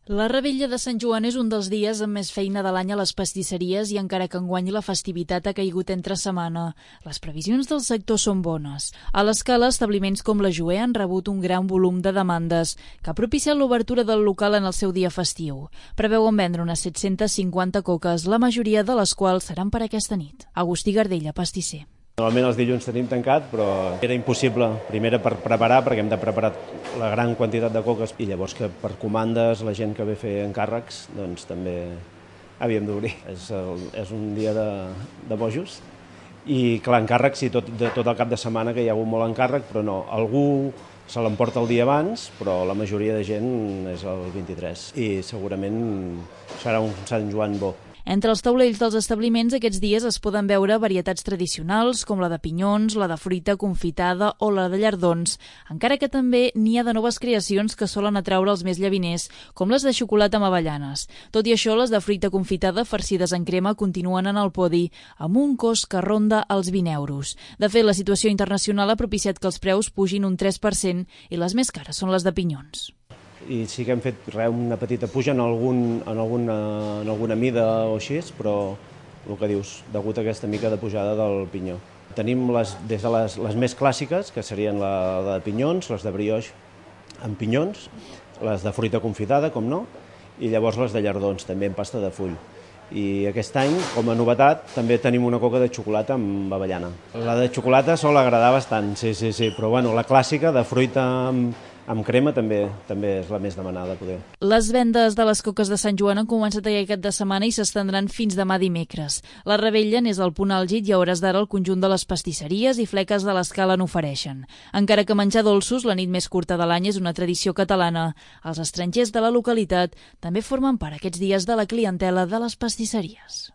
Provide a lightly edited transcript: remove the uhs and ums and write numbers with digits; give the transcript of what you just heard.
La Revetlla de Sant Joan és un dels dies amb més feina de l'any a les pastisseries i encara que enguany la festivitat ha caigut entre setmana. Les previsions del sector són bones. A l'escala, establiments com la Joé han rebut un gran volum de demandes que ha propiciat l'obertura del local en el seu dia festiu. Preveuen vendre unes 750 coques, la majoria de les quals seran per aquesta nit. Agustí Gardella, pastisser. Normalment els dilluns tenim tancat, però era impossible, primera per preparar, perquè hem de preparar la gran quantitat de coques, i llavors que per comandes, la gent que ve a fer encàrrecs, doncs també havíem d'obrir. És un dia de bojos, i clar, encàrrecs sí, tot el cap de setmana, que hi ha hagut molt encàrrec, però no, algú se l'emporta el dia abans, però la majoria de gent és el 23, i segurament serà un Sant Joan bo. Entre els taulells dels establiments aquests dies es poden veure varietats tradicionals com la de pinyons, la de fruita confitada o la de llardons, encara que també n'hi ha de noves creacions que solen atraure els més llaviners, com les de xocolata amb avellanes. Tot i això, les de fruita confitada farcides en crema continuen en el podi, amb un cost que ronda els 20 euros. De fet, la situació internacional ha propiciat que els preus pugin un 3% i les més cares són les de pinyons. I sí que hem fet una petita puja en alguna mida o així, però el que dius, degut a aquesta mica de pujada del pinyó. Tenim des de les més clàssiques, que serien la de pinyons, les de brioix amb pinyons, les de fruita confitada, com no, i llavors les de llardons, també en pasta de full. I aquest any, com a novetat, també tenim una coca de xocolata amb avellana. La de xocolata sol agradar bastant, sí, però bueno, la clàssica de fruita amb crema també és la més demanada, poder. Les vendes de les coques de Sant Joan han començat aquest cap de setmana i s'estendran fins demà dimecres. La Revetlla n'és el punt àlgid i a hores d'ara el conjunt de les pastisseries i fleques de l'escala n'ofereixen. Encara que menjar dolços, la nit més curta de l'any és una tradició catalana. Els estrangers de la localitat també formen part aquests dies de la clientela de les pastisseries.